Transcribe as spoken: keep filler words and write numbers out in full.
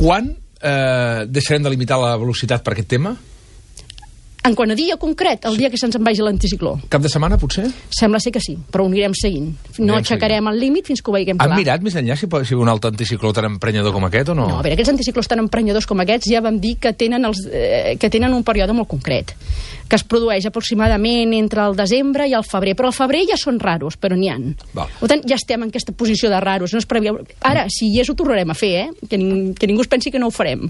Quan eh, deixarem de limitar la velocitat per aquest tema? En quant a dia concret, el dia que se'ns en vagi l'anticicló. Cap de setmana, potser? Sembla ser que sí, però ho anirem seguint. No aixecarem el límit fins que ho veiem clar. Han mirat més enllà si pot ser un altre anticicló tan emprenyador com aquest o no? No, a veure, aquests anticiclons tan emprenyadors com aquests ja vam dir que tenen, els, eh, que tenen un període molt concret, que es produeix aproximadament entre el desembre i el febrer, però al febrer ja són raros, però n'hi ha. Val. Per tant, ja estem en aquesta posició de raros. No es preveu... Ara, si hi és, ho tornarem a fer, eh? Que, ning que ningú es pensi que no ho farem.